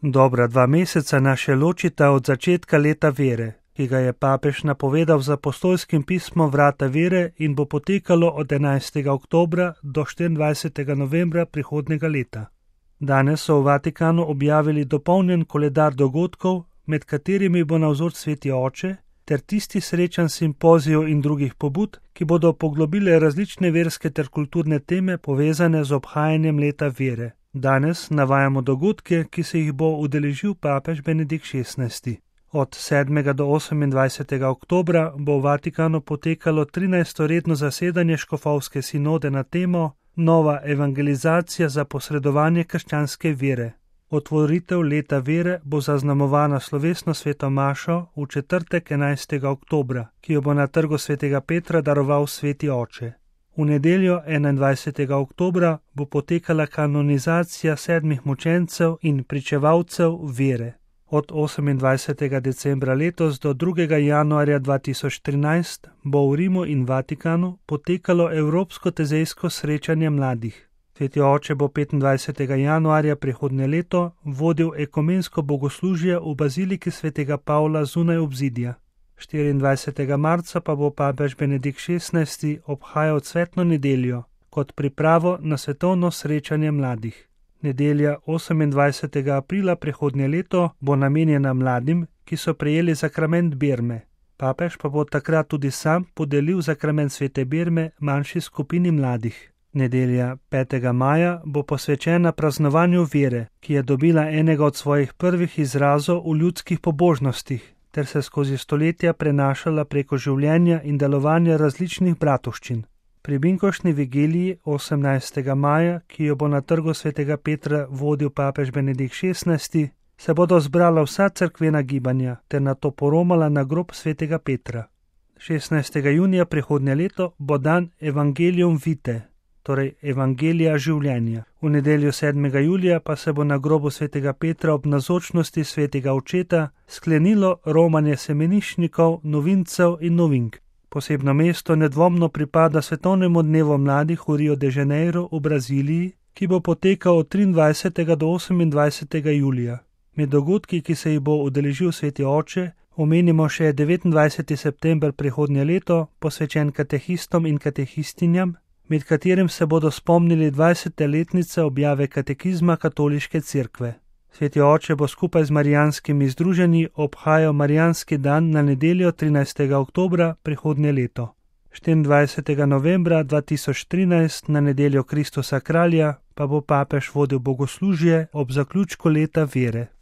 Dobra 2 meseca nas še ločita od začetka leta vere, ki ga je papež napovedal z apostolskim pismom Vrata vere in bo potekalo od 11. oktobra do 24. novembra prihodnjega leta. Danes so v Vatikanu objavili dopolnjen koledar dogodkov, med katerimi bo navzoč Sveti Oče, ter tisti srečanj simpozijev in drugih pobud, ki bodo poglobile različne verske ter kulturne teme povezane z obhajanjem leta vere. Danes navajamo dogodke, ki se jih bo udeležil papež Benedikt XVI. Od 7. do 28. oktobra bo v Vatikanu potekalo 13. redno zasedanje škofovske sinode na temo Nova evangelizacija za posredovanje krščanske vere. Otvoritev leta vere bo zaznamovana slovesno sveto mašo v četrtek 11. oktobra, ki jo bo na trgu svetega Petra daroval Sveti Oče. V nedeljo 21. oktobra bo potekala kanonizacija 7 mučencev in pričevalcev vere. Od 28. decembra letos do 2. januarja 2013 bo v Rimu in Vatikanu potekalo Evropsko tezejsko srečanje mladih. Sveti Oče bo 25. januarja prihodnje leto vodil ekumensko bogoslužje v baziliki svetega Pavla zunaj obzidja. 24. marca pa bo papež Benedikt XVI obhajal cvetno nedeljo kot pripravo na svetovno srečanje mladih. Nedelja 28. aprila prihodnje leto bo namenjena mladim, ki so prejeli sakrament birme. Papež pa bo takrat tudi sam podelil sakrament svete birme manjši skupini mladih. Nedelja 5. maja bo posvečena praznovanju vere, ki je dobila enega od svojih prvih izrazov v ljudskih pobožnostih, ter se skozi stoletja prenašala preko življenja in delovanja različnih bratovščin. Pri binkoštni vigiliji 18. maja, ki jo bo na trgu svetega Petra vodil papež Benedikt XVI, se bodo zbrala vsa cerkvena gibanja ter nato poromala na grob svetega Petra. 16. junija prihodnje leto bo dan Evangelium Vitae, torej Evangelija življenja. V nedeljo 7. julija pa se bo na grobu svetega Petra ob navzočnosti svetega očeta sklenilo romanje semeniščnikov, novincev in novink. Posebno mesto nedvomno pripada svetovnemu dnevu mladih v Rio de Janeiro v Braziliji, ki bo potekal od 23. do 28. julija. Med dogodki, ki se jih bo udeležil Sveti Oče, omenimo še 29. september prihodnje leto, posvečen katehistom in katehistinjam, med katerim se bodo spomnili 20. letnice objave katekizma katoliške cerkve. Sveti Oče bo skupaj z marijanskimi združenji obhajal marijanski dan na nedeljo 13. oktobra prihodnje leto. 24. novembra 2013 na nedeljo Kristusa kralja pa bo papež vodil bogoslužje ob zaključku leta vere.